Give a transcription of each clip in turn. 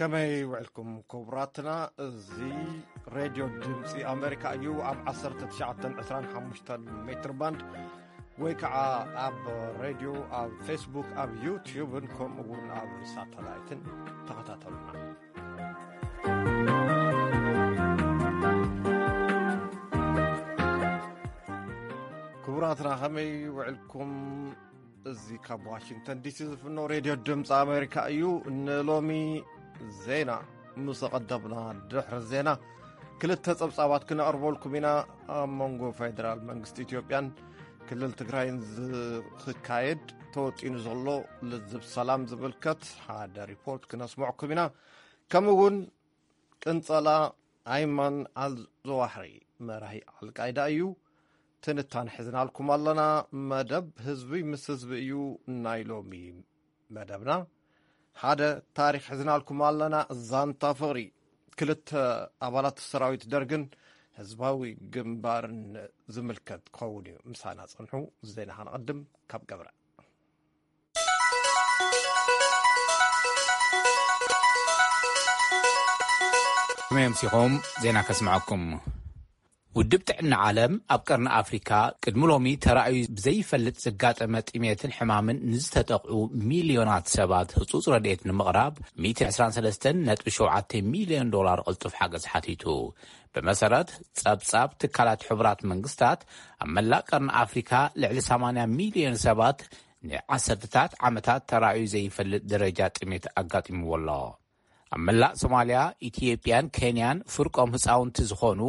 ከመይ ውዕልኩም ክቡራትና? እዚ ሬድዮ ድምፂ ኣሜሪካ እዩ። ኣብ ዓሰርተ ትሽዓተ ዕስራን ሓሙሽተን ሜትር ባንድ ወይ ከዓ ኣብ ሬድዮ፣ ኣብ ፌስቡክ፣ ኣብ ዩቲዩብን ከምኡ እውን ኣብ ሳተላይትን ተኸታተሉና። ክቡራትና ከመይ ውዕልኩም? እዚ ካብ ዋሽንግተን ዲሲ ዝፍኖ ሬድዮ ድምፂ ኣሜሪካ እዩ። ንሎሚ ዜና ምስ ኣቐደምና፣ ድሕሪ ዜና ክልተ ጸብጻባት ክነቕርበልኩም ኢና። ኣብ መንጎ ፌደራል መንግስቲ ኢትዮጵያን ክልል ትግራይን ዝክካየድ ተወጢኑ ዘሎ ልዝብ ሰላም ዝምልከት ሓደ ሪፖርት ክነስምዕኩም ኢና። ከምኡ እውን ቅንጸላ ኣይማን ኣልዘዋሕሪ፣ መራሒ ኣልቃይዳ እዩ። ትንታን ሒዝናልኩም ኣለና። መደብ ህዝቢ ምስ ህዝቢ እዩ ናይ ሎሚ መደብና። ሓደ ታሪኽ ሒዝናልኩም ኣለና። ዛንታ ፍቕሪ ክልተ ኣባላት ሰራዊት ደርግን ህዝባዊ ግንባርን ዝምልከት ክኸውን እዩ። ምሳና ጸንሑ። ዜና ከነቐድም ካብ ገብረ። ከመይ ኣምሲኹም? ዜና ከስምዐኩም። ውድብ ጥዕና ዓለም ኣብ ቀርኒ ኣፍሪካ ቅድሚ ሎሚ ተራእዩ ብዘይፈልጥ ዘጋጠመ ጥሜትን ሕማምን ንዝተጠቕዑ ሚልዮናት ሰባት ህጹጽ ረድኤት ንምቕራብ ሚእቲ ዕስራን ሰለስተን ነጥቢ ሸውዓተ ሚልዮን ዶላር ቅልጡፍ ሓገዝ ሓቲቱ። ብመሰረት ጸብጻብ ትካላት ሕቡራት መንግስታት፣ ኣብ መላእ ቀርኒ ኣፍሪካ ልዕሊ ሰማንያ ሚልዮን ሰባት ንዓሰርተታት ዓመታት ተራእዩ ዘይፈልጥ ደረጃ ጥሜት ኣጋጢምዎ ኣሎ። ኣብ መላእ ሶማልያ፣ ኢትዮጵያን ኬንያን ፍርቆም ህፃውንቲ ዝኾኑ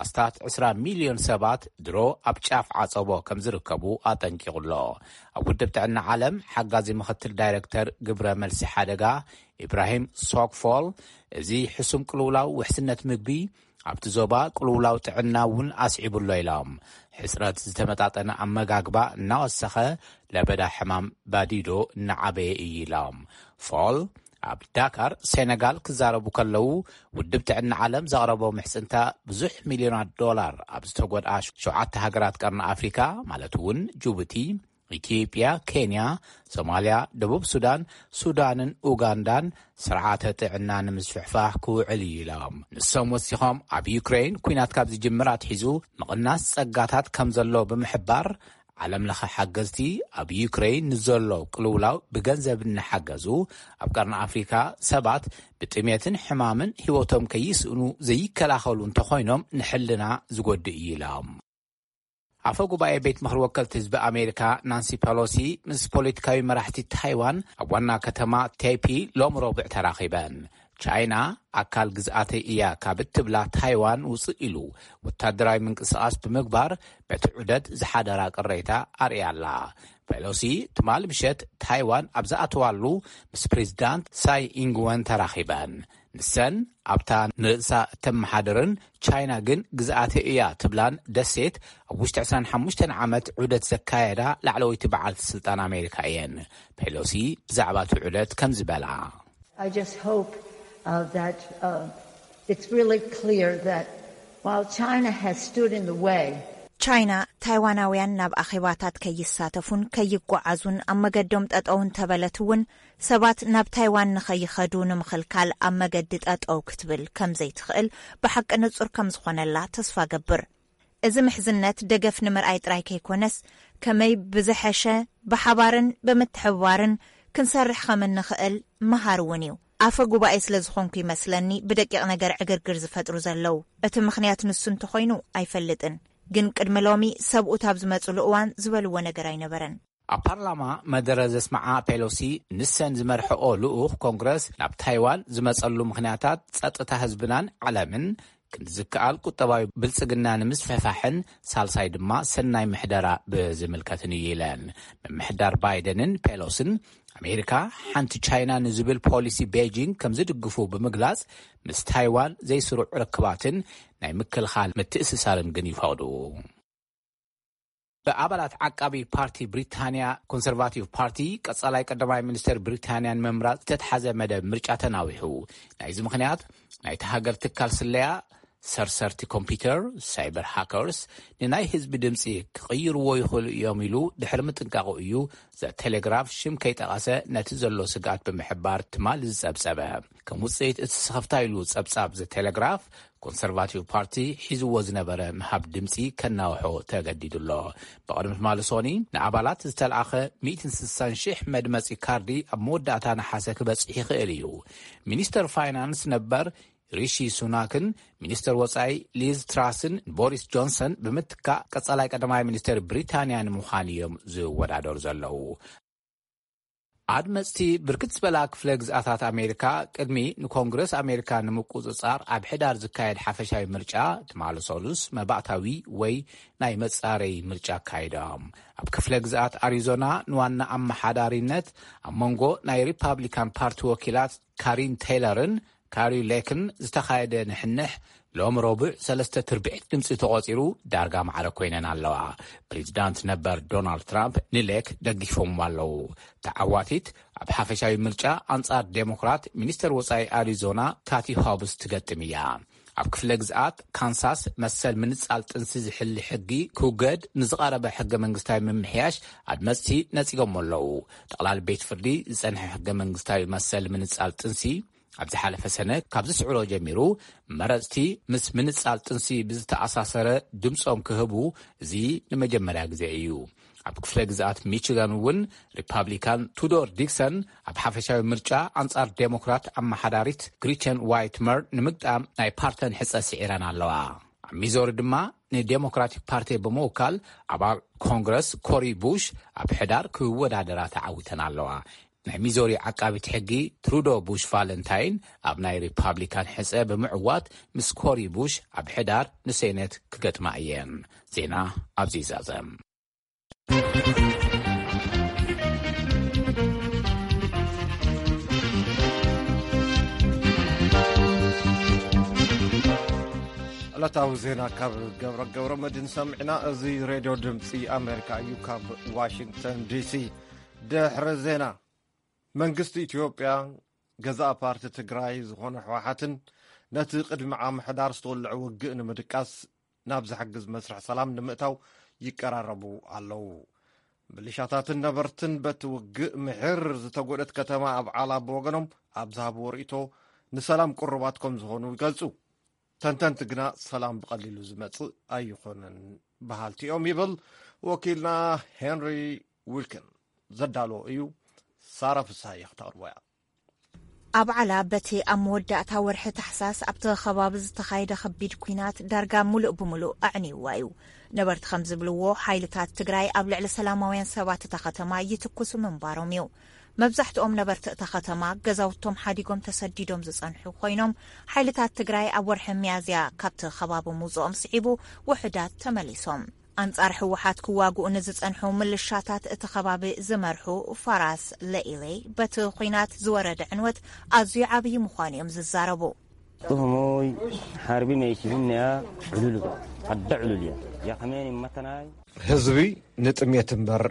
ኣስታት ዕስራ ሚልዮን ሰባት ድሮ ኣብ ጫፍ ዓፀቦ ከም ዝርከቡ ኣጠንቂቑ ኣሎ። ኣብ ውድብ ጥዕና ዓለም ሓጋዚ ምኽትል ዳይሬክተር ግብረ መልሲ ሓደጋ ኢብራሂም ሶክፎል፣ እዚ ሕሱም ቅልውላው ውሕስነት ምግቢ ኣብቲ ዞባ ቅልውላው ጥዕና እውን ኣስዒቡ ኣሎ ኢሎም። ሕፅረት ዝተመጣጠነ ኣመጋግባ እናወሰኸ ለበዳ ሕማም ባዲዶ እናዓበየ እዩ ኢሎም። ፎል ኣብ ዳካር ሴነጋል ክዛረቡ ከለዉ፣ ውድብ ጥዕና ዓለም ዘቕረቦ ምሕፅንታ ብዙሕ ሚልዮናት ዶላር ኣብ ዝተጎድኣ ሸውዓተ ሃገራት ቀርኒ ኣፍሪካ፣ ማለት እውን ጅቡቲ፣ ኢትዮጵያ፣ ኬንያ፣ ሶማልያ፣ ደቡብ ሱዳን፣ ሱዳንን ኡጋንዳን ስርዓተ ጥዕና ንምስፍሕፋሕ ክውዕል እዩ ኢሎም። ንሶም ወሲኾም፣ ኣብ ዩክሬን ኲናት ካብ ዝጅምር ኣትሒዙ ምቕናስ ጸጋታት ከም ዘሎ ብምሕባር፣ ዓለም ለኸ ሓገዝቲ ኣብ ዩክሬን ንዘሎ ቅልውላው ብገንዘብ እናሓገዙ፣ ኣብ ቀርኒ ኣፍሪካ ሰባት ብጥሜትን ሕማምን ህይወቶም ከይስእኑ ዘይከላኸሉ እንተኾይኖም፣ ንሕልና ዝጎድእ እዩ ኢሎም። ኣፈ ጉባኤ ቤት ምኽሪ ወከልቲ ህዝቢ ኣሜሪካ ናንሲ ፐሎሲ ምስ ፖለቲካዊ መራሕቲ ታይዋን ኣብ ዋና ከተማ ቴፒ ሎም ረቡዕ ተራኺበን። ቻይና ኣካል ግዝኣተይ እያ ካብ እትብላ ታይዋን ውፅእ ኢሉ ወታደራዊ ምንቅስቓስ ብምግባር፣ በቲ ዑደት ዝሓደራ ቅሬታ ኣርእያ ኣላ። ፔሎሲ ትማሊ ምሸት ታይዋን ኣብ ዝኣተዋሉ ምስ ፕሬዚዳንት ሳይ ኢንግወን ተራኺበን። ንሰን ኣብታ ንርእሳ እተመሓድርን ቻይና ግን ግዝኣተይ እያ ትብላን ደሴት ኣብ ውሽጢ ዕስራን ሓሙሽተን ዓመት ዑደት ዘካየዳ ላዕለወይቲ በዓልቲ ስልጣን ኣሜሪካ እየን። ፔሎሲ ብዛዕባ እቲ ዑደት ከምዚ በላ። I just hope uh, that uh, it's really clear that while China has stood in the way, ቻይና ታይዋናውያን ናብ ኣኼባታት ከይሳተፉን ከይጓዓዙን ኣብ መገዶም ጠጠው እንተበለት እውን፣ ሰባት ናብ ታይዋን ንኸይኸዱ ንምኽልካል ኣብ መገዲ ጠጠው ክትብል ከም ዘይትኽእል ብሓቂ ንጹር ከም ዝኾነላ ተስፋ ገብር። እዚ ምሕዝነት ደገፍ ንምርኣይ ጥራይ ከይኮነስ፣ ከመይ ብዝሐሸ ብሓባርን ብምትሕብባርን ክንሰርሕ ከም እንኽእል መሃሪ እውን እዩ። ኣፈ ጉባኤ ስለ ዝኾንኩ ይመስለኒ ብደቂቕ ነገር ዕግርግር ዝፈጥሩ ዘለዉ። እቲ ምኽንያት ንሱ እንተኾይኑ ኣይፈልጥን፣ ግን ቅድሚ ሎሚ ሰብኡት ኣብ ዝመጹሉ እዋን ዝበልዎ ነገር ኣይነበረን። ኣብ ፓርላማ መደረ ዘስምዓ ፔሎሲ፣ ንሰን ዝመርሕኦ ልኡኽ ኮንግረስ ናብ ታይዋን ዝመጸሉ ምኽንያታት ጸጥታ ህዝብናን ዓለምን ክንዲ ዝከኣል ቁጠባዊ ብልጽግና ንምስፍሕፋሕን ሳልሳይ ድማ ሰናይ ምሕደራ ብዝምልከትን እዩ ኢለን። ምምሕዳር ባይደንን ፔሎስን ኣሜሪካ ሓንቲ ቻይና ንዝብል ፖሊሲ ቤጂንግ ከም ዝድግፉ ብምግላጽ፣ ምስ ታይዋን ዘይስሩዕ ርክባትን ናይ ምክልኻል ምትእስሳርን ግን ይፈቕዱ። ብኣባላት ዓቃቢ ፓርቲ ብሪታንያ ኮንሰርቫቲቭ ፓርቲ ቀጻላይ ቀዳማይ ሚኒስተር ብሪታንያን ምምራጽ ዝተትሓዘ መደብ ምርጫ ተናዊሑ። ናይዚ ምኽንያት ናይቲ ሃገር ትካል ስለያ ሰርሰርቲ ኮምፒውተር፣ ሳይበር ሃከርስ፣ ንናይ ህዝቢ ድምፂ ክቕይርዎ ይኽእሉ እዮም ኢሉ ድሕሪ ምጥንቃቑ እዩ ዘ ቴሌግራፍ ሽም ከይጠቐሰ ነቲ ዘሎ ስግኣት ብምሕባር ትማል ዝጸብጸበ። ከም ውጽኢት እቲ ስኽፍታ ኢሉ ጸብጻብ ዘ ቴሌግራፍ፣ ኮንሰርቫቲቭ ፓርቲ ሒዝዎ ዝነበረ ምሃብ ድምፂ ከናውሖ ተገዲዱ ኣሎ። ብቕድሚ ትማሊ ሶኒ ንኣባላት ዝተለኣኸ ሚእትን ስሳን ሽሕ መድመፂ ካርዲ ኣብ መወዳእታ ነሓሰ ክበፅሕ ይኽእል እዩ። ሚኒስተር ፋይናንስ ነበር ሪሺ ሱናክን ሚኒስተር ወጻኢ ሊዝ ትራስን ንቦሪስ ጆንሰን ብምትካእ ቀጻላይ ቀዳማይ ሚኒስተር ብሪታንያ ንምዃን እዮም ዝወዳደሩ ዘለዉ። ኣድመጽቲ ብርክት ዝበላ ክፍለ ግዝኣታት ኣሜሪካ ቅድሚ ንኮንግረስ ኣሜሪካ ንምቁጽጻር ኣብ ሕዳር ዝካየድ ሓፈሻዊ ምርጫ ትማሊ ሰሉስ መባእታዊ ወይ ናይ መጻረይ ምርጫ ኣካይዶም። ኣብ ክፍለ ግዝኣት ኣሪዞና ንዋና ኣመሓዳሪነት ኣብ መንጎ ናይ ሪፓብሊካን ፓርቲ ወኪላት ካሪን ቴይለርን ካሪ ሌክን ዝተኻየደ ንሕንሕ ሎም ረቡዕ ሰለስተ ትርብዒት ድምፂ ተቖፂሩ ዳርጋ ማዕረ ኮይነን ኣለዋ። ፕሬዚዳንት ነበር ዶናልድ ትራምፕ ንሌክ ደጊፎምዋ ኣለዉ። ተዓዋቲት ኣብ ሓፈሻዊ ምርጫ ኣንጻር ዴሞክራት ሚኒስተር ወጻኢ ኣሪዞና ካቲ ሆብስ ትገጥም እያ። ኣብ ክፍለ ግዝኣት ካንሳስ መሰል ምንጻል ጥንሲ ዝሕሊ ሕጊ ክውገድ ንዝቐረበ ሕገ መንግስታዊ ምምሕያሽ ኣድመፅቲ ነጺጎሞ ኣለዉ። ጠቕላሊ ቤት ፍርዲ ዝጸንሐ ሕገ መንግስታዊ መሰል ምንጻል ጥንሲ ኣብ ዝሓለፈ ሰነ ካብ ዝስዕሮ ጀሚሩ መረፅቲ ምስ ምንጻል ጥንሲ ብዝተኣሳሰረ ድምፆም ክህቡ እዚ ንመጀመርያ ግዜ እዩ። ኣብ ክፍለ ግዝኣት ሚችጋን እውን ሪፓብሊካን ቱዶር ዲክሰን ኣብ ሓፈሻዊ ምርጫ ኣንጻር ዴሞክራት ኣመሓዳሪት ግሪቸን ዋይትመር ንምግጣም ናይ ፓርተን ሕጸ ስዒረን ኣለዋ። ኣብ ሚዞሪ ድማ ንዴሞክራቲክ ፓርቲ ብምውካል ኣባል ኮንግረስ ኮሪ ቡሽ ኣብ ሕዳር ክወዳደራ ተዓዊተን ኣለዋ። ናይ ሚዞሪ ዓቃቢት ሕጊ ትሩዶ ቡሽ ቫለንታይን ኣብ ናይ ሪፓብሊካን ሕጸ ብምዕዋት ምስ ኮሪ ቡሽ ኣብ ሕዳር ንሴኔት ክገጥማ እየን። ዜና ኣብዚ ይዛዘም። ዕለታዊ ዜና ካብ ገብረ ገብረ መድህን ሰሚዕና። እዚ ሬድዮ ድምፂ ኣሜሪካ እዩ። ካብ ዋሽንግተን ዲሲ ድሕሪ ዜና፣ መንግስቲ ኢትዮጵያ፣ ገዛእ ፓርቲ ትግራይ ዝኾነ ህወሓትን ነቲ ቅድሚ ዓሚ ሕዳር ዝተወልዐ ውግእ ንምድቃስ ናብ ዝሕግዝ መስርሕ ሰላም ንምእታው ይቀራረቡ ኣለዉ። ምሊሻታትን ነበርትን በቲ ውግእ ምሒር ዝተጎድአት ከተማ ኣብዓላ ብወገኖም ኣብ ዝሃብዎ ርእይቶ፣ ንሰላም ቅሩባት ከም ዝኾኑ ይገልጹ። ተንተንቲ ግና ሰላም ብቐሊሉ ዝመጽእ ኣይኾነን በሃልቲ እዮም ይብል ወኪልና ሄንሪ ዊልኪን። ዘዳለዎ እዩ፣ ሳራ ፍስሃየ ክተቕርቦ እያ። ኣብዓላ በቲ ኣብ መወዳእታ ወርሒ ታሕሳስ ኣብቲ ከባቢ ዝተኻየደ ከቢድ ኲናት ዳርጋ ምሉእ ብምሉእ ኣዕንይዋ እዩ። ነበርቲ ከም ዝብልዎ፣ ሓይልታት ትግራይ ኣብ ልዕሊ ሰላማውያን ሰባት እታ ከተማ ይትኩሱ ምንባሮም እዩ። መብዛሕትኦም ነበርቲ እታ ከተማ ገዛውቶም ሓዲጎም ተሰዲዶም ዝጸንሑ ኮይኖም፣ ሓይልታት ትግራይ ኣብ ወርሒ ሚያዝያ ካብቲ ከባቢ ምውጽኦም ስዒቡ ውሑዳት ተመሊሶም። ኣንጻር ህወሓት ክዋግኡ ንዝጸንሑ ምልሻታት እቲ ከባቢ ዝመርሑ ፋራስ ለኢሌ፣ በቲ ኲናት ዝወረደ ዕንወት ኣዝዩ ዓብዪ ምዃኑ እዮም ዝዛረቡ። Tuhumoy harbi meeshihimneya cululuga, hadda cululiya, yakmeen immatanay. ህዝቢ ንጥሜት እምበር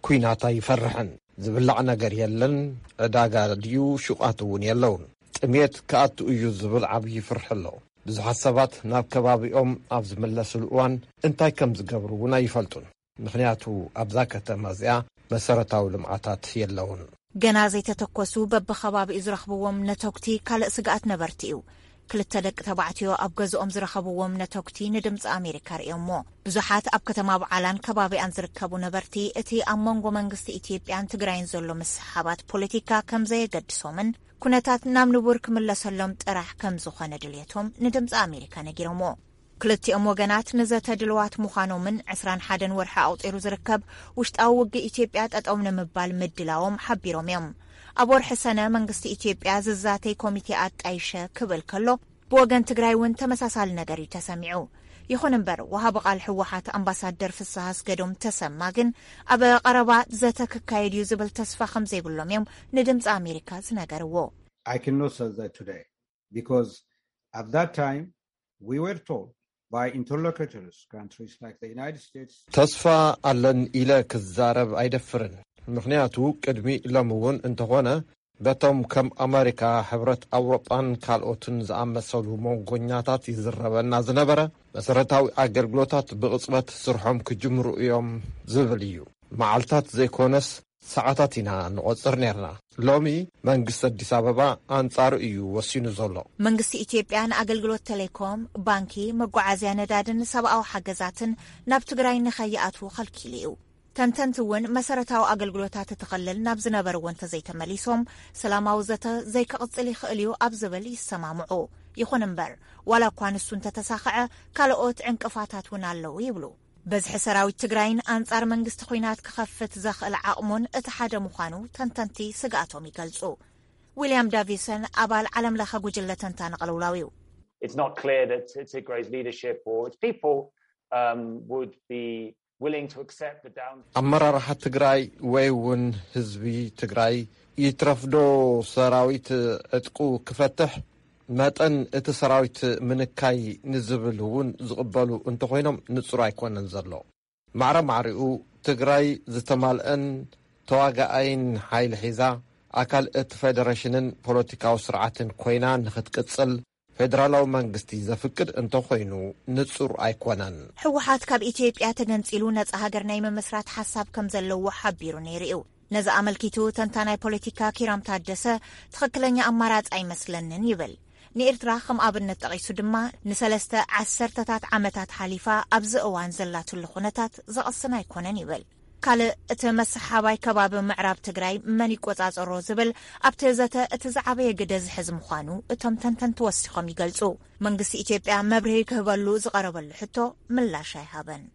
ኲናት ኣይፈርሕን። ዝብላዕ ነገር የለን፣ ዕዳጋ ድዩ ሹቓት እውን የለውን። ጥሜት ክኣቱ እዩ ዝብል ዓብዪ ፍርሒ ኣሎ። ብዙሓት ሰባት ናብ ከባቢኦም ኣብ ዝምለስሉ እዋን እንታይ ከም ዝገብሩ እውን ኣይፈልጡን። ምኽንያቱ ኣብዛ ከተማ እዚኣ መሰረታዊ ልምዓታት የለውን። ገና ዘይተተኮሱ በብኸባቢኡ ዝረኽብዎም ነተጉቲ ካልእ ስግኣት ነበርቲ እዩ። ክልተ ደቂ ተባዕትዮ ኣብ ገዝኦም ዝረኸብዎም ነተጉቲ ንድምፂ ኣሜሪካ ርእዮሞ። ብዙሓት ኣብ ከተማ ብዓላን ከባቢኣን ዝርከቡ ነበርቲ እቲ ኣብ መንጎ መንግስቲ ኢትዮጵያን ትግራይን ዘሎ ምስሕሓባት ፖለቲካ ከም ዘየገድሶምን ኩነታት ናብ ንቡር ክምለሰሎም ጥራሕ ከም ዝኾነ ድልየቶም ንድምፂ ኣሜሪካ ነጊሮሞ። ክልቲኦም ወገናት ንዘተ ድልዋት ምዃኖምን ዕስራን ሓደን ወርሒ ኣቑፂሩ ዝርከብ ውሽጣዊ ውግእ ኢትዮጵያ ጠጠው ንምባል ምድላዎም ሓቢሮም እዮም። ኣብ ወርሒ ሰነ መንግስቲ ኢትዮጵያ ዝዛተይ ኮሚቴ ኣጣይሸ ክብል ከሎ፣ ብወገን ትግራይ እውን ተመሳሳሊ ነገር እዩ ተሰሚዑ። ይኹን እምበር፣ ወሃቢ ቃል ህወሓት ኣምባሳደር ፍስሃ ኣስገዶም ተሰማ ግን ኣብ ቀረባ ዘተ ክካየድ እዩ ዝብል ተስፋ ከም ዘይብሎም እዮም ንድምፂ ኣሜሪካ ዝነገርዎ። I cannot say that today because at that time we were told by interlocutors, countries like the United States. ተስፋ ኣለን ኢለ ክዛረብ ኣይደፍርን። ምኽንያቱ ቅድሚ ሎሚ እውን እንተኾነ በቶም ከም ኣመሪካ፣ ሕብረት ኣውሮጳን ካልኦትን ዝኣመሰሉ መንጎኛታት ይዝረበና ዝነበረ መሰረታዊ ኣገልግሎታት ብቕጽበት ስርሖም ክጅምሩ እዮም ዝብል እዩ። መዓልታት ዘይኮነስ ሰዓታት ኢና ንቖጽር ነርና። ሎሚ መንግስቲ ኣዲስ ኣበባ ኣንጻሩ እዩ ወሲኑ ዘሎ። መንግስቲ ኢትዮጵያ ንኣገልግሎት ቴሌኮም፣ ባንኪ፣ መጓዓዝያ ነዳድን ሰብኣዊ ሓገዛትን ናብ ትግራይ ንኸይኣትዉ ከልኪሉ እዩ። ተንተንቲ እውን መሰረታዊ ኣገልግሎታት እቲ ክልል ናብ ዝነበርዎ እንተዘይተመሊሶም ሰላማዊ ዘተ ዘይክቕጽል ይኽእል እዩ ኣብ ዝብል ይሰማምዑ። ይኹን እምበር፣ ዋላ እኳ ንሱ እንተተሳኽዐ፣ ካልኦት ዕንቅፋታት እውን ኣለዉ ይብሉ። በዝሒ ሰራዊት ትግራይን ኣንጻር መንግስቲ ኲናት ክኸፍት ዘኽእል ዓቕሙን እቲ ሓደ ምዃኑ ተንተንቲ ስግኣቶም ይገልጹ። ዊልያም ዳቪሰን ኣባል ዓለም ለኸ ጉጅለ ተንታኒ ቅልውላው እዩ። It's not clear that Tigray's leadership or its people um, would be willing to accept the down. ኣመራርሓ ትግራይ ወይ እውን ህዝቢ ትግራይ ይትረፍዶ ሰራዊት ዕጥቁ ክፈትሕ መጠን እቲ ሰራዊት ምንካይ ንዝብል እውን ዝቕበሉ እንተኾይኖም ንጹር ኣይኮነን ዘሎ። ማዕረ ማዕሪኡ ትግራይ ዝተማልአን ተዋጋኣይን ሓይሊ ሒዛ ኣካል እቲ ፌደሬሽንን ፖለቲካዊ ስርዓትን ኮይና ንኽትቅጽል ፌደራላዊ መንግስቲ ዘፍቅድ እንተኾይኑ ንጹር ኣይኮነን። ህወሓት ካብ ኢትዮጵያ ተገንጺሉ ነጻ ሃገር ናይ ምምስራት ሓሳብ ከም ዘለዎ ሓቢሩ ነይሩ እዩ። ነዚ ኣመልኪቱ ተንታናይ ፖለቲካ ኪራም ታደሰ ትኽክለኛ ኣማራጺ ኣይመስለንን ይብል። ንኤርትራ ከም ኣብነት ጠቒሱ ድማ ንሰለስተ ዓሰርተታት ዓመታት ሓሊፋ ኣብዚ እዋን ዘላትሉ ኩነታት ዘቐስን ኣይኮነን ይብል። ካልእ እቲ መሰሓባይ ከባቢ ምዕራብ ትግራይ መን ይቆጻጸሮ ዝብል ኣብቲ ዘተ እቲ ዝዓበየ ግደ ዝሕዝ ምዃኑ እቶም ተንተንቲ ወሲኾም ይገልጹ። መንግስቲ ኢትዮጵያ መብርሂ ክህበሉ ዝቐረበሉ ሕቶ ምላሽ ኣይሃበን።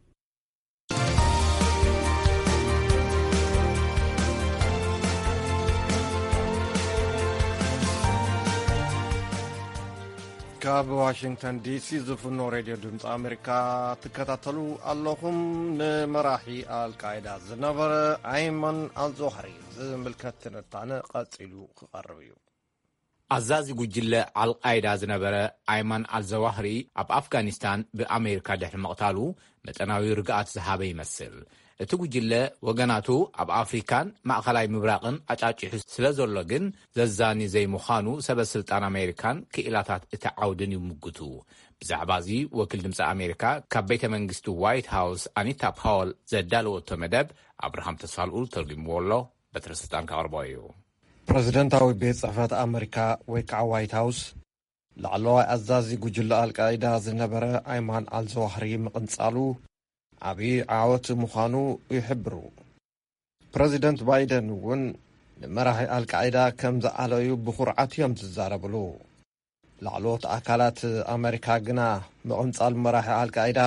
ካብ ዋሽንግተን ዲሲ ዝፍኖ ሬድዮ ድምፂ ኣሜሪካ ትከታተሉ ኣለኹም። ንመራሒ ኣልቃይዳ ዝነበረ ኣይማን ኣልዞሃሪ ዝምልከት ትንታነ ቀፂሉ ክቐርብ እዩ። ኣዛዚ ጉጅለ ኣልቃይዳ ዝነበረ ኣይማን ኣልዘዋህሪ ኣብ ኣፍጋኒስታን ብኣሜሪካ ድሕሪ ምቕታሉ መጠናዊ ርግኣት ዝሃበ ይመስል። እቲ ጉጅለ ወገናቱ ኣብ ኣፍሪካን ማእኸላይ ምብራቕን ኣጫጭሑ ስለ ዘሎ ግን ዘዛኒ ዘይምዃኑ ሰበ ስልጣን ኣሜሪካን ክኢላታት እቲ ዓውድን ይምጉቱ። ብዛዕባ እዚ ወኪል ድምፂ ኣሜሪካ ካብ ቤተ መንግስቲ ዋይት ሃውስ ኣኒታ ፓወል ዘዳለወቶ መደብ ኣብርሃም ተስፋልኡል ተርጉምዎ ኣሎ። በትረ ስልጣን ከቕርቦ እዩ። ፕረዚደንታዊ ቤት ጽሕፈት ኣመሪካ ወይ ከዓ ዋይት ሃውስ ላዕለዋይ ኣዛዚ ጉጅለ ኣልቃይዳ ዝነበረ ኣይማን ኣልዘዋህሪ ምቕንጻሉ ዓብዪ ዓወት ምዃኑ ይሕብሩ። ፕረዚደንት ባይደን እውን ንመራሒ ኣልቃይዳ ከም ዝዓለዩ ብኹርዓት እዮም ዝዛረብሉ። ላዕለዎት ኣካላት ኣመሪካ ግና ምቕንጻል መራሒ ኣልቃይዳ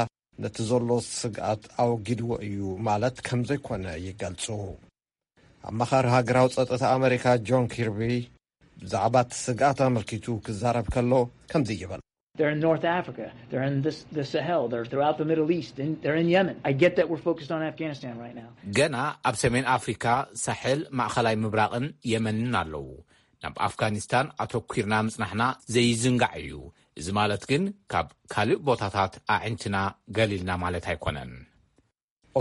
ነቲ ዘሎ ስግኣት ኣወጊድዎ እዩ ማለት ከም ዘይኮነ ይገልጹ። ኣማኻሪ ሃገራዊ ጸጥታ ኣመሪካ ጆን ኪርቢ ብዛዕባ እቲ ስግኣት ኣመልኪቱ ክዛረብ ከሎ ከምዚ ይብል። They're in North Africa. They're in this, the Sahel. They're throughout the Middle East. In, they're in Yemen. I get that we're focused on Afghanistan right now. ገና ኣብ ሰሜን ኣፍሪካ፣ ሳሕል፣ ማእኸላይ ምብራቕን የመንን ኣለዉ። ናብ ኣፍጋኒስታን ኣተኲርና ምጽናሕና ዘይዝንጋዕ እዩ። እዚ ማለት ግን ካብ ካልእ ቦታታት ኣዒንትና ገሊልና ማለት ኣይኮነን።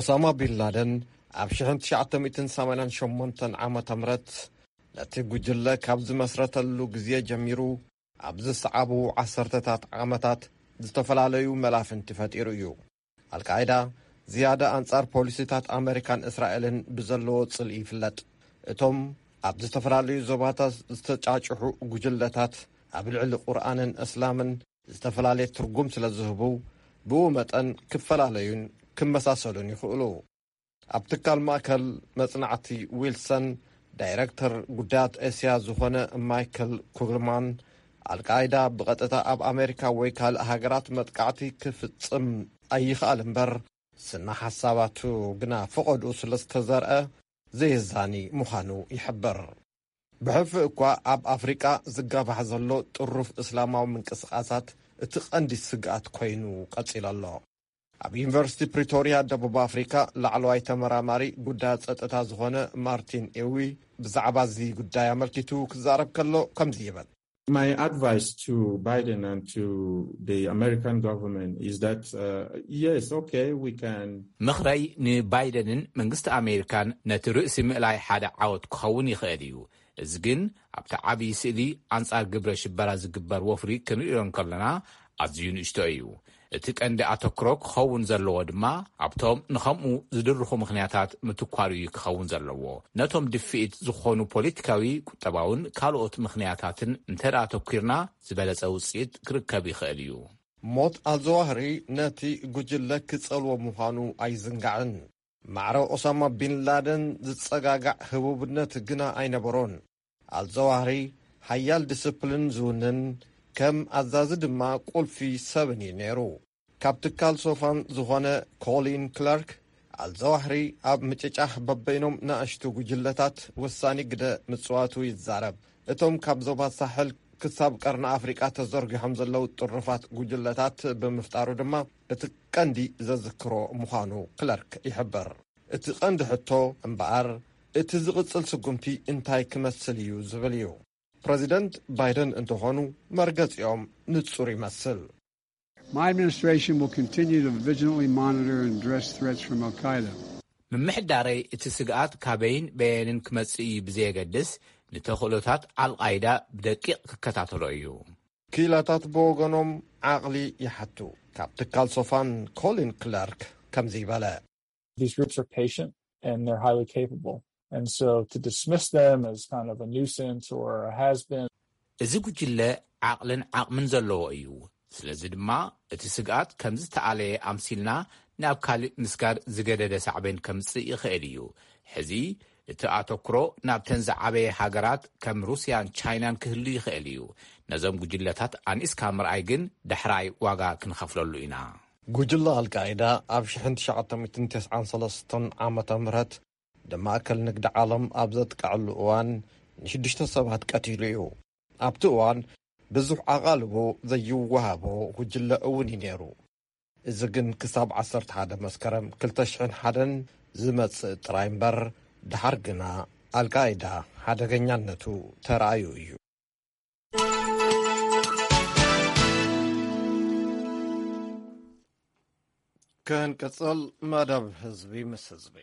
ኦሳማ ቢን ላደን ኣብ ሽሕን ትሽዓተ ሚእትን ሰማንያን ሸሞንተን ዓመተ ምህረት ነቲ ጉጅለ ካብ ዝመስረተሉ ግዜ ጀሚሩ ኣብ ዝሰዓቡ ዓሰርተታት ዓመታት ዝተፈላለዩ መላፍንቲ ፈጢሩ እዩ። ኣልቃይዳ ዝያዳ ኣንጻር ፖሊሲታት ኣመሪካን እስራኤልን ብዘለዎ ጽልኢ ይፍለጥ። እቶም ኣብ ዝተፈላለዩ ዞባታት ዝተጫጭሑ ጉጅለታት ኣብ ልዕሊ ቁርኣንን እስላምን ዝተፈላለየ ትርጉም ስለ ዝህቡ፣ ብኡ መጠን ክፈላለዩን ክመሳሰሉን ይኽእሉ። ኣብ ትካል ማእከል መጽናዕቲ ዊልሰን ዳይረክተር ጉዳያት እስያ ዝኾነ ማይክል ኩግልማን፣ ኣልቃይዳ ብቐጥታ ኣብ ኣሜሪካ ወይ ካልእ ሃገራት መጥቃዕቲ ክፍጽም ኣይኽኣል እምበር፣ ስነ ሓሳባቱ ግና ፈቐድኡ ስለ ዝተዘርአ ዘየዛኒ ምዃኑ ይሕብር። ብሕልፊ እኳ ኣብ ኣፍሪቃ ዝጋባሕ ዘሎ ጥሩፍ እስላማዊ ምንቅስቓሳት እቲ ቀንዲ ስግኣት ኮይኑ ቀጺሉ ኣሎ። ኣብ ዩኒቨርሲቲ ፕሪቶርያ ደቡብ ኣፍሪካ ላዕለዋይ ተመራማሪ ጉዳያት ጸጥታ ዝኾነ ማርቲን ኤዊ ብዛዕባ እዚ ጉዳይ ኣመልኪቱ ክዛረብ ከሎ ከምዚ ይብል። My advice to Biden and to the American government is that, uh, yes, okay, we can ምኽረይ ንባይደንን መንግስቲ ኣሜሪካን ነቲ ርእሲ ምእላይ ሓደ ዓወት ክኸውን ይኽእል እዩ። እዚ ግን ኣብቲ ዓብዪ ስእሊ ኣንጻር ግብረ ሽበራ ዝግበር ወፍሪ ክንርእዮ እንከለና ኣዝዩ ንእሽቶ እዩ። እቲ ቀንዲ ኣተኩሮ ክኸውን ዘለዎ ድማ ኣብቶም ንኸምኡ ዝድርኹ ምኽንያታት ምትኳር እዩ ክኸውን ዘለዎ። ነቶም ድፍኢት ዝኾኑ ፖለቲካዊ፣ ቁጠባውን ካልኦት ምኽንያታትን እንተ ደኣ ኣተኲርና ዝበለጸ ውጽኢት ክርከብ ይኽእል እዩ። ሞት ኣልዘዋህሪ ነቲ ጉጅለ ክጸልዎ ምዃኑ ኣይዝንጋዕን። ማዕረ ኦሳማ ቢን ላደን ዝጸጋጋዕ ህቡብነት ግና ኣይነበሮን። ኣልዘዋህሪ ሓያል ዲስፕሊን ዝውንን፣ ከም ኣዛዚ ድማ ቁልፊ ሰብን እዩ ነይሩ። ካብ ትካል ሶፋን ዝኾነ ኮሊን ክላርክ፣ ኣልዘዋህሪ ኣብ ምጭጫሕ በበይኖም ንኣሽቱ ጉጅለታት ወሳኒ ግደ ምጽዋቱ ይዛረብ። እቶም ካብ ዞባ ሳሕል ክሳብ ቀርኒ ኣፍሪቃ ተዘርጊሖም ዘለዉ ጥርፋት ጉጅለታት ብምፍጣሩ ድማ እቲ ቀንዲ ዘዝክሮ ምዃኑ ክለርክ ይሕብር። እቲ ቀንዲ ሕቶ እምበኣር፣ እቲ ዝቕጽል ስጉምቲ እንታይ ክመስል እዩ ዝብል እዩ። ፕረዚደንት ባይደን እንተኾኑ፣ መርገጺኦም ንጹር ይመስል። My administration will continue to vigilantly monitor and address threats from Al Qaeda. ምምሕዳረይ እቲ ስግኣት ካበይን በየንን ክመጽእ እዩ ብዘየገድስ፣ ንተኽእሎታት ኣልቃይዳ ብደቂቕ ክከታተሎ እዩ። ክኢላታት ብወገኖም ዓቕሊ ይሓቱ። ካብ ትካል ሶፋን ኮሊን ክላርክ ከምዚ ይበለ። These groups are patient and they're highly capable. And so to dismiss them as kind of a nuisance or a has been. እዚ ጉጅለ ዓቕልን ዓቕምን ዘለዎ እዩ። ስለዚ ድማ እቲ ስግኣት ከም ዝተኣለየ ኣምሲልና ናብ ካልእ ምስጋር ዝገደደ ሳዕቤን ከምጽእ ይኽእል እዩ። ሕዚ እቲ ኣተኩሮ ናብተን ዝዓበየ ሃገራት ከም ሩስያን ቻይናን ክህሉ ይኽእል እዩ። ነዞም ጉጅለታት ኣንኢስካ ምርኣይ ግን ዳሕራይ ዋጋ ክንኸፍለሉ ኢና። ጉጅለ ኣልቃይዳ ኣብ ሽሕን ትሽዓተ ሚእትን ተስዓን ሰለስተን ዓመተ ምህረት ንማእከል ንግዲ ዓለም ኣብ ዘጥቅዐሉ እዋን ንሽዱሽተ ሰባት ቀቲሉ እዩ። ኣብቲ እዋን ብዙሕ ኣቓልቦ ዘይወሃቦ ጉጅለ እውን እዩ ነይሩ። እዚ ግን ክሳብ ዓሰርተ ሓደ መስከረም ክልተ ሽሕን ሓደን ዝመጽእ ጥራይ እምበር፣ ድሓር ግና ኣልቃይዳ ሓደገኛነቱ ተራእዩ እዩ። ክንቅጽል መደብ ህዝቢ ምስ ህዝቢ።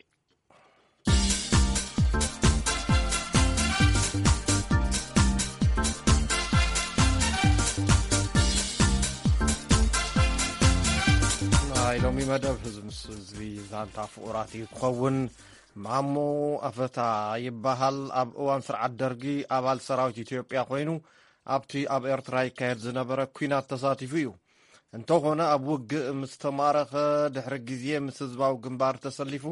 ናይ ሎሚ መደብ ህዝቢ ምስ ህዝቢ ዛንታ ፍቑራት እዩ ክኸውን። ማሞ ኣፈታ ይበሃል። ኣብ እዋን ስርዓት ደርጊ ኣባል ሰራዊት ኢትዮጵያ ኮይኑ ኣብቲ ኣብ ኤርትራ ይካየድ ዝነበረ ኲናት ተሳቲፉ እዩ። እንተኾነ ኣብ ውግእ ምስ ተማረኸ ድሕሪ ግዜ ምስ ህዝባዊ ግንባር ተሰሊፉ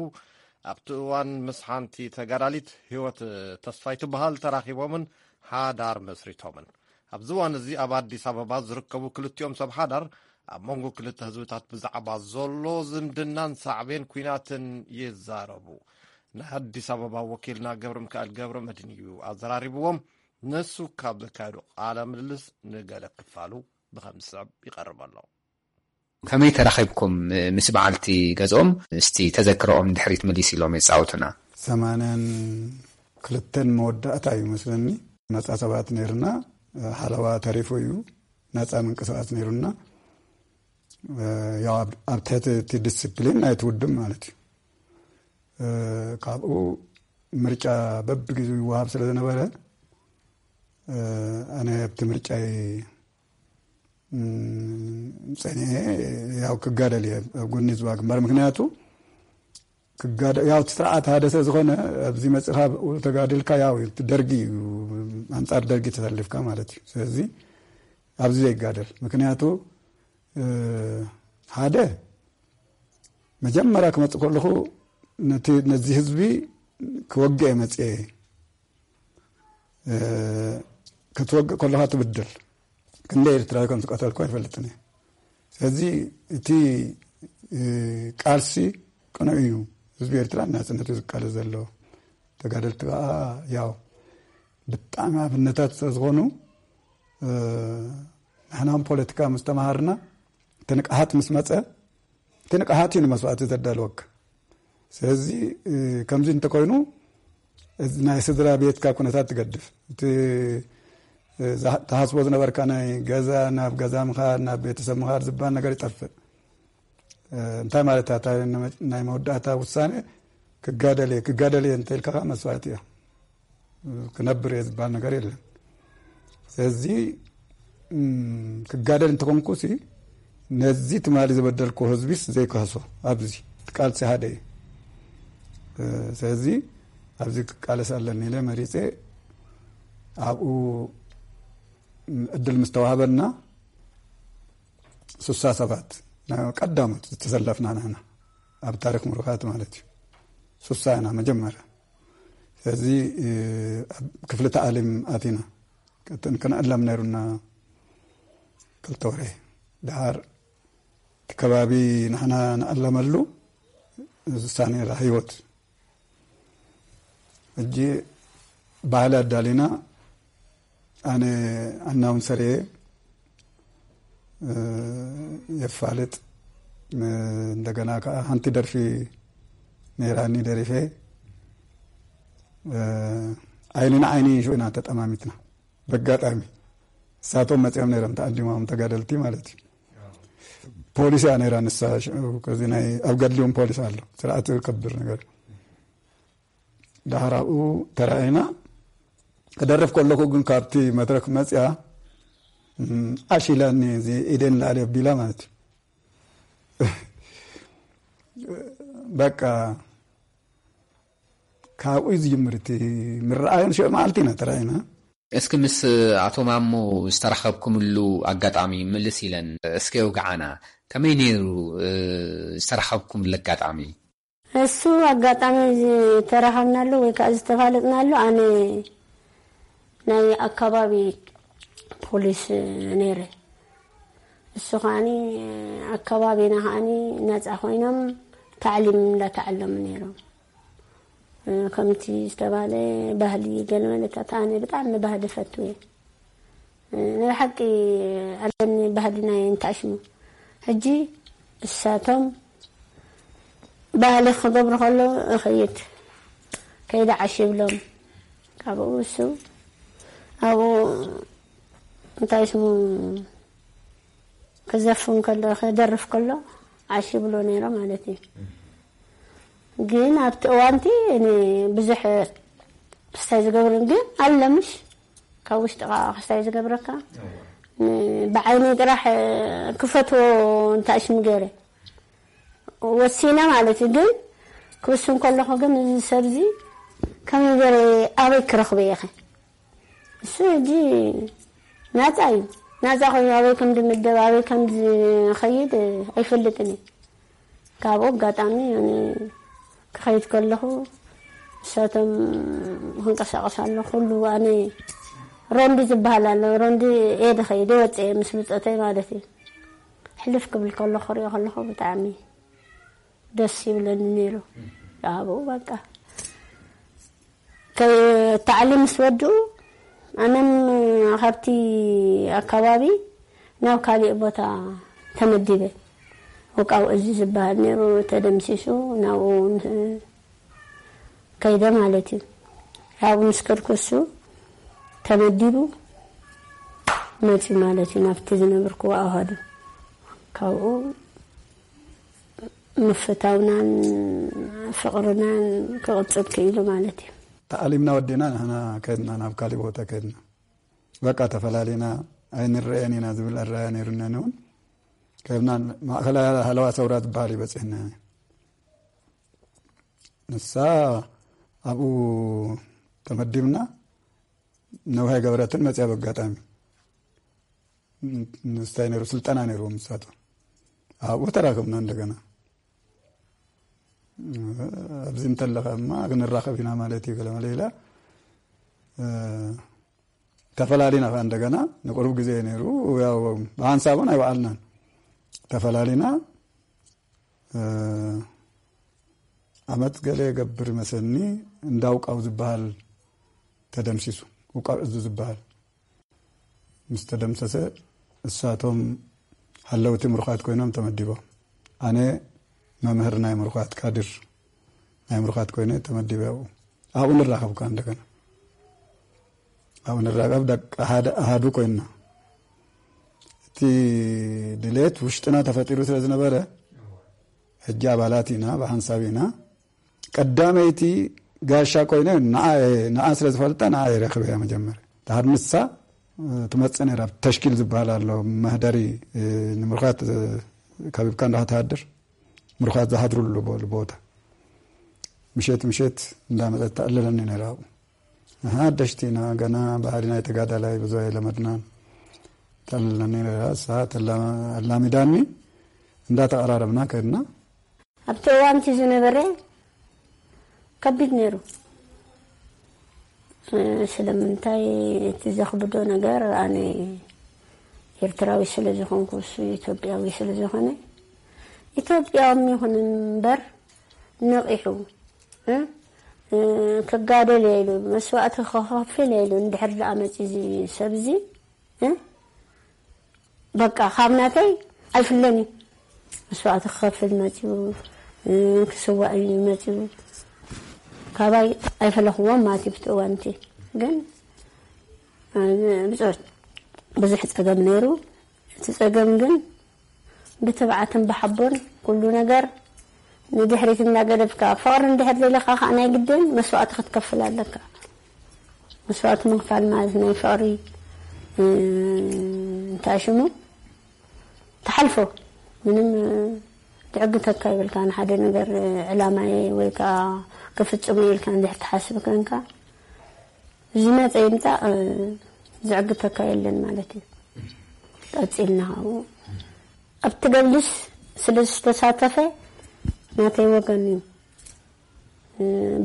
ኣብቲ እዋን ምስ ሓንቲ ተጋዳሊት ህይወት ተስፋይ ትበሃል ተራኺቦምን ሓዳር መስሪቶምን። ኣብዚ እዋን እዚ ኣብ ኣዲስ ኣበባ ዝርከቡ ክልቲኦም ሰብ ሓዳር ኣብ መንጎ ክልተ ህዝብታት ብዛዕባ ዘሎ ዝምድናን ሳዕቤን ኲናትን ይዛረቡ። ናይ ኣዲስ ኣበባ ወኪልና ገብረ ሚካኤል ገብረ መድህን እዩ ኣዘራሪብዎም። ንሱ ካብ ዘካየዶ ቃለ ምልልስ ንገለ ክፋሉ ብኸም ዝስዕብ ይቐርብ ኣሎ። ከመይ ተራኺብኩም ምስ በዓልቲ ገዝኦም? እስቲ ተዘክሮኦም ንድሕሪት ምሊስ ኢሎም የጻውቱና። ሰማንያን ክልተን መወዳእታ እዩ መስለኒ። ነጻ ሰባት ነይርና፣ ሓለዋ ተሪፉ እዩ። ነጻ ምንቅስቃስ ነይሩና። ያው ኣብ ትሕቲ እቲ ዲስፕሊን ናይቲ ውድብ ማለት እዩ። ካብኡ ምርጫ በብግዜኡ ይወሃብ ስለ ዝነበረ፣ ኣነ ኣብቲ ምርጫይ ጸኒዐ፣ ያው ክጋደል እየ ኣብ ጎኒ ህዝባዊ ግንባር። ምክንያቱ ክጋደ-፣ ያው እቲ ስርዓት ሓደ ስለ ዝኾነ፣ ኣብዚ መጺኻ ብኡ ተጋዲልካ፣ ያው እቲ ደርጊ እዩ፣ ኣንጻር ደርጊ ተሰሊፍካ ማለት እዩ። ስለዚ ኣብዚ ዘይጋደል፣ ምክንያቱ፣ እ፣ ሓደ መጀመርያ ክመጽእ ከለኹ ነቲ፣ ነዚ ህዝቢ ክወግእ እየ መጽየ። እ፣ ክትወግእ ከለኻ ትብድል። ክንደይ ኤርትራዊ ከም ዝቀተልኩ ኣይፈልጥን እየ። ስለዚ እቲ፣ እ፣ ቃልሲ ቅኑዕ እዩ። ህዝቢ ኤርትራ ናጽነቱ ዝቃለስ ዘሎ። ተጋደልቲ ከኣ ያው ብጣዕሚ ኣብነታት ስለ ዝኾኑ፣ እ፣ ንሕና እውን ፖለቲካ ምስ ተማሃርና፣ እቲ ንቅሓት ምስ መጸ፣ እቲ ንቅሓት እዩ ንመስዋእቲ ዘዳልወካ። ስለዚ፣ እ፣ ከምዚ እንተኮይኑ፣ እዚ ናይ ስድራ ቤትካ ኩነታት ትገድፍ። እቲ፣ እ፣ ዝሃ-፣ ትሃስቦ ዝነበርካ ናይ ገዛ፣ ናብ ገዛ ምኻድ፣ ናብ ቤተሰብ ምኻድ ዝበሃል ነገር ይጠፍእ። እ፣ እንታይ ማለት እያ? እታ ናይ መወዳእታ ውሳነ ክጋደል እየ፣ ክጋደል እየ እንተኢልካ ከኣ መስዋእቲ እያ። ክነብር እየ ዝበሃል ነገር የለን። ስለዚ ክጋደል እንተኾንኩ ሲ ነዚ ትማሊ ዝበደልኩ ህዝቢስ ዘይክህሶ ኣብዚ ቃልሲ ሓደ እዩ። ስለዚ ኣብዚ ክቃለስ ኣለኒ ኢለ መሪፀ ኣብኡ እድል ምስተዋህበና ሱሳ ሰባት ቀዳሞት ዝተሰለፍና ንሕና ኣብ ታሪክ ምሩኻት ማለት እዩ። ሱሳ ኢና መጀመርያ። ስለዚ ክፍሊ ተኣሊም ኣቲና ክንዕለም ነይሩና ክልተ ወርሒ። ድሓር እቲ ከባቢ ንሕና ንኣለመሉ ሱሳ ነይራ ህይወት። ሕጂ ባህሊ ኣዳሊና ኣነ ኣናውን ሰሪየ የፋልጥ። እንደገና ከዓ ሓንቲ ደርፊ ነይራኒ ደሪፈ። ዓይኒ ንዓይኒ ሽዑ ኢና ተጠማሚትና። በጋጣሚ እሳቶም መፂኦም ነይሮም ተኣሊሞም ተጋደልቲ ማለት እዩ። ፖሊስ እያ ነይራ ንሳ። ሽዑ ከዚ ናይ ኣብ ገድሊውን ፖሊስ ኣሎ ስርዓት ከብር ነገር። ዳሕር ኣብኡ ተራእና ክደርፍ ከለኹ ግን ካብቲ መድረክ መፅያ ዓሽ ኢላኒ እዚ ኢደን ላዕሊ ኣቢላ ማለት እዩ። በቃ ካብኡ እዩ ዝጅምር እቲ ምረኣዮን ሽዑ መዓልቲ ኢና ተራእና። እስኪ ምስ ኣቶ ማሞ ዝተራኸብኩምሉ ኣጋጣሚ ምልስ ኢለን እስኪ የውግዓና። ከመይ ነይሩ ዝተራኸብኩምሉ ኣጋጣሚ? እሱ ኣጋጣሚ ዝተራኸብናሉ ወይ ከዓ ዝተፋለጥናሉ ኣነ ናይ ኣካባቢ ፖሊስ ነይረ። እሱ ከዓኒ ኣካባቢና ከዓኒ ነፃ ኮይኖም ታዕሊም እንዳተዓለሙ ነይሮም። ከምቲ ዝተባለ ባህሊ ገለ መለታት ኣነ ብጣዕሚ ባህሊ ፈቱ እየ። ናይ ሓቂ ኣለኒ ባህሊ ናይ እንታሽሙ። ሕጂ እሳቶም ባህሊ ክገብሩ ከለዉ እኸይድ ከይደ ዓሽ ይብሎም። ካብኡ እሱ ኣብኡ እንታይ ስሙ ክዘፍን ከሎ ክደርፍ ከሎ ዓሽ ይብሎ ነይሮ ማለት እዩ። ግን ኣብቲ እዋንቲ እኔ ብዙሕ ክስታይ ዝገብርን ግን ኣለምሽ ካብ ውሽጥኻ ክስታይ ዝገብረካ ብዓይኒ ጥራሕ ክፈትዎ እንታይ ሽም ገይረ ወሲነ ማለት እዩ። ግን ክውስን ከለኹ ግን እዚ ሰብዚ ከመይ ገይረ ኣበይ ክረኽቦ እየ ኸ? እሱ ሕጂ ናፃ እዩ። ናፃ ኮይኑ ኣበይ ከም ዝምደብ ኣበይ ከም ዝኸይድ ኣይፈልጥን እዩ። ካብኡ ኣጋጣሚ ኣነ ክኸይድ ከለኹ እሳቶም ክንቀሳቀስ ኣሎ ኩሉ ኣነ ሮንዲ ዝበሃል ኣሎ ሮንዲ እየ ዝኸይድ ወፅአ ምስ ብፆተይ ማለት እዩ። ሕልፍ ክብል ከሎ ክሪኦ ከለኹ ብጣዕሚ ደስ ይብለኒ ነይሩ። ኣብኡ በቃ ታዕሊም ምስ ወድኡ ኣነም ካብቲ ኣካባቢ ናብ ካሊእ ቦታ ተመዲበ። ውቃው እዚ ዝበሃል ነይሩ ተደምሲሱ ናብኡ ከይደ ማለት እዩ። ኣብኡ ምስ ከድኩ እሱ ተመዲቡ መፂ ማለት እዩ ናብቲ ዝነብርክዎ ኣሃዱ ካብኡ ምፍታውናን ፍቕርናን ክቕፅል ክኢሉ ማለት እዩ። ተኣሊምና ወዲና ንሕና ከድና ናብ ካሊእ ቦታ ከድና በቃ ተፈላሊና ኣይንረአን ኢና ዝብል ኣረኣያ ነይሩና እውን ከድና ማእኸላይ ሃለዋ ሰውራ ዝበሃል እዩ በፂሕና ንሳ ኣብኡ ተመዲብና ነውሃይ ገብረትን መፅያ በጋጣሚ ንስታይ ነይሩ ስልጠና ነይርዎም ንሳቶም ኣብኡ ተራከብና እንደገና ኣብዚ እንተለኸ እማ ክንራኸብ ኢና ማለት እዩ ገለመለ ኢላ ተፈላሊና ከዓ እንደገና ንቁሩብ ግዜ ነይሩ ያው ብሓንሳቡን ኣይበዓልናን ተፈላሊና ዓመት ገለ የገብር መሰኒ እንዳውቃው ዝበሃል ተደምሲሱ ውቃው እዙ ዝበሃል ምስ ተደምሰሰ እሳቶም ሓለውቲ ምሩኻት ኮይኖም ተመዲቦም ኣነ መምህር ናይ ምሩኻት ካድር ናይ ምሩኻት ኮይነ ተመዲበ ኣብኡ ኣብኡ ንራኸብ ከዓ እንደገና ኣብኡ ንራኸብ ደቂ ሓደ ኣሃዱ ኮይንና እቲ ድሌት ውሽጥና ተፈጢሩ ስለ ዝነበረ ሕጂ ኣባላት ኢና ብሓንሳብ ኢና ቀዳመይቲ ጋሻ ኮይነ ንዓ ንዓ ስለ ዝፈልጣ ንዓ የረክበያ መጀመርያ። ድሓር ንሳ ትመጽእ ነይራ። ተሽኪል ዝበሃል ኣሎ፣ መህደሪ ንምርኳት ከቢብካ እንዳተሃድር ምርኳት ዝሃድሩሉ ቦ- ቦታ፣ ምሸት ምሸት እንዳመጸት ተዕልለኒ ነይራ። ኣብኡ ንሓደሽቲ ኢና፣ ገና ባህሊ ናይ ተጋዳላይ ብዙ ኣይለመድናን። ተዕልለኒ ነይራ። እሳ ተላማ- ኣላሚዳኒ፣ እንዳተቐራረብና ከድና። ኣብቲ እዋንቲ ዝነበረ ከቢድ ነይሩ። ስለምንታይ? እቲ ዘኽብዶ ነገር፣ ኣነ ኤርትራዊ ስለ ዝኾንኩ፣ እሱ ኢትዮጵያዊ ስለ ዝኾነ፣ ኢትዮጵያዊ ይኹን እምበር፣ ነቒሑ ክጋደል ኢሉ፣ መስዋእቲ ክኸፍል ኢሉ እንድሕር ደኣ መፂ እዚ ሰብ እዚ፣ በቃ ካብ ናተይ ኣይፍለን እዩ። መስዋእቲ ክኸፍል መፂኡ፣ ክስዋእ እዩ መፂኡ። ካባይ ኣይፈለኽዎም ማለት እዩ። ብቲ እዋንቲ ግን ብዙሕ ፀገም ነይሩ። እቲ ፀገም ግን ብትብዓትን ብሓቦን ኩሉ ነገር ንድሕሪት እናገደፍካ፣ ፍቕሪ እንድሕር ደሊኻ ከዓ ናይ ግድን መስዋእቲ ክትከፍል ኣለካ። መስዋእቲ ምኽፋል ማለት ናይ ፍቕሪ እንታይ ሽሙ ትሓልፎ፣ ምንም ትዕግተካ ይብልካ። ንሓደ ነገር ዕላማየ ወይ ከዓ ክፍፅሙ ኢልካ እንድሕር ትሓስብ ኮንካ፣ ዝመፀ ይምፃእ ዝዕግተካ የለን ማለት እዩ። ቀፂልና ካብኡ ኣብቲ ገድልስ ስለ ዝተሳተፈ ናተይ ወገን እዩ፣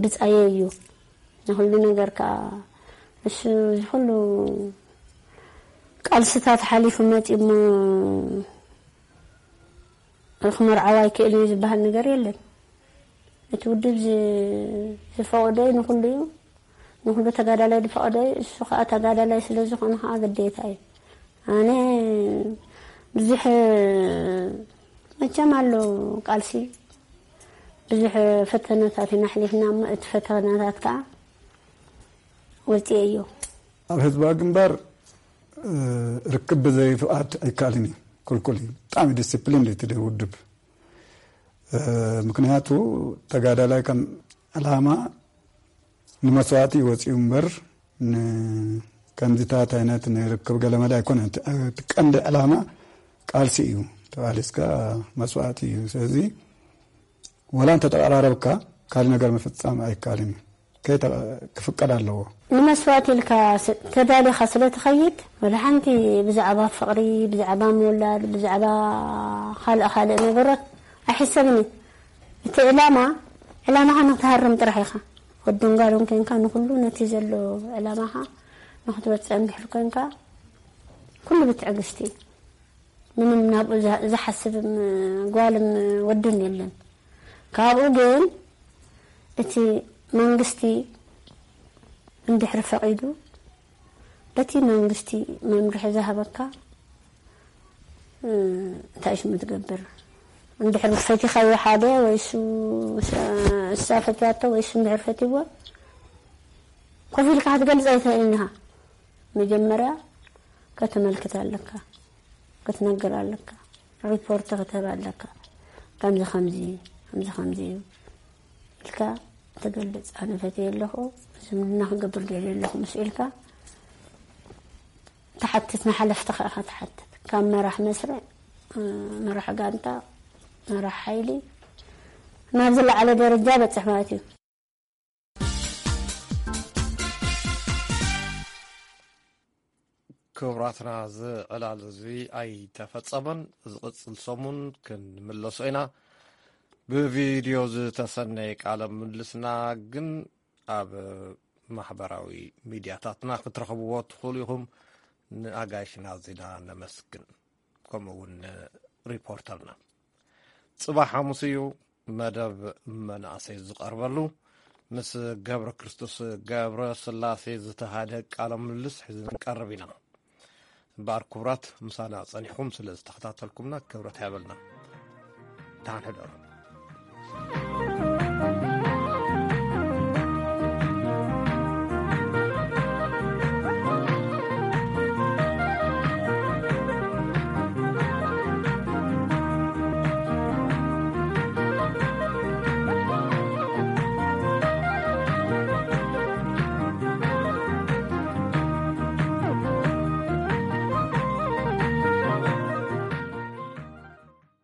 ብፃየ እዩ ንኩሉ ነገር ከዓ። እሱ እዚ ኩሉ ቃልስታት ሓሊፉ መፂ እሞ ክመርዓው ኣይክእል እዩ ዝበሃል ነገር የለን። እቲ ውድብ ዝፈቐዶ ንኩሉ እዩ፣ ንኩሉ ተጋዳላይ ዝፈቐዶ እዩ። እሱ ከዓ ተጋዳላይ ስለ ዝኾነ ከዓ ግዴታ እዩ። ኣነ ብዙሕ መቸም ኣሎ ቃልሲ፣ ብዙሕ ፈተነታት ኢና ኣሕሊፍና እሞ እቲ ፈተነታት ከዓ ወፂኤ እዮ። ኣብ ህዝባዊ ግንባር ርክብ ብዘይ ፍቓድ ኣይከኣልን እዩ፣ ክልኩል እዩ። ብጣዕሚ ዲስፕሊን እዩ እቲ ውድብ። ምክንያቱ ተጋዳላይ ከም ዕላማ ንመስዋእቲ ይወፅኡ እምበር ከምዚታት ዓይነት ንርክብ ገለመለ ኣይኮነን። እቲ ቀንዲ ዕላማ ቃልሲ እዩ። ተቓሊስካ መስዋእቲ እዩ። ስለዚ ወላ እንተተቐራረብካ ካልእ ነገር ምፍፃም ኣይከኣልን እዩ። ክፍቀድ ኣለዎ። ንመስዋእቲ ኢልካ ተዳሊኻ ስለ ትኸይድ፣ ወላ ሓንቲ ብዛዕባ ፍቕሪ፣ ብዛዕባ ምውላድ፣ ብዛዕባ ካልእ ካልእ ነገሮት ኣይሕሰብን እዩ። እቲ ዕላማ ዕላማኻ ንክትሃርም ጥራሕ ኢኻ። ወድን ጓልን ኮንካ ንኩሉ ነቲ ዘሎ ዕላማኻ ንክትበፅዕ እንድሕር ኮንካ ኩሉ ብትዕግስቲ እዩ። ምንም ናብኡ ዝሓስብ ጓልን ወድን የለን። ካብኡ ግን እቲ መንግስቲ እንድሕር ፈቒዱ በቲ መንግስቲ መምርሒ ዝሃበካ እንታይ ሽሙ ትገብር? እንድሕር ፈቲኻዮ ሓደ ወይ እሱ እሳ ፈትያቶ ወይ እሱ እንድሕር ፈትይዎ ኮፍ ኢልካ ክትገልፅ ኣይትኽእልን ኢኻ። መጀመርያ ከተመልክት ኣለካ፣ ክትነግር ኣለካ፣ ሪፖርት ክትህብ ኣለካ። ከምዚ ከምዚ ከምዚ ከምዚ እዩ ኢልካ ትገልፅ። ኣነ ፈትየ ኣለኹ፣ ዝምድና ክገብር ደልየ ኣለኹ ምስ ኢልካ ትሓትት፣ ንሓለፍቲ ከዓ ትሓትት። ካብ መራሕ መስርዕ፣ መራሕ ጋንታ፣ መራሕ ሓይሊ ናብ ዝለዓለ ደረጃ በፅሕ ማለት እዩ። ክቡራትና፣ እዚ ዕላል እዚ ኣይተፈጸመን። ዝቕጽል ሰሙን ክንምለሶ ኢና። ብቪድዮ ዝተሰነየ ቃለ ምልልስና ግን ኣብ ማሕበራዊ ሚድያታትና ክትረኽብዎ ትኽእሉ ኢኹም። ንኣጋይሽና ዚና ነመስግን፣ ከምኡ እውን ንሪፖርተርና። ጽባሕ ሓሙስ እዩ መደብ መናእሰይ ዝቐርበሉ። ምስ ገብረ ክርስቶስ ገብረ ስላሴ ዝተሃደ ቃለ ምልልስ ሒዝና ንቀርብ ኢና። እምበኣር ክቡራት፣ ምሳና ጸኒሕኩም ስለ ዝተኸታተልኩምና ክብረት ይሃበልና። ደሓን ሕደሩ።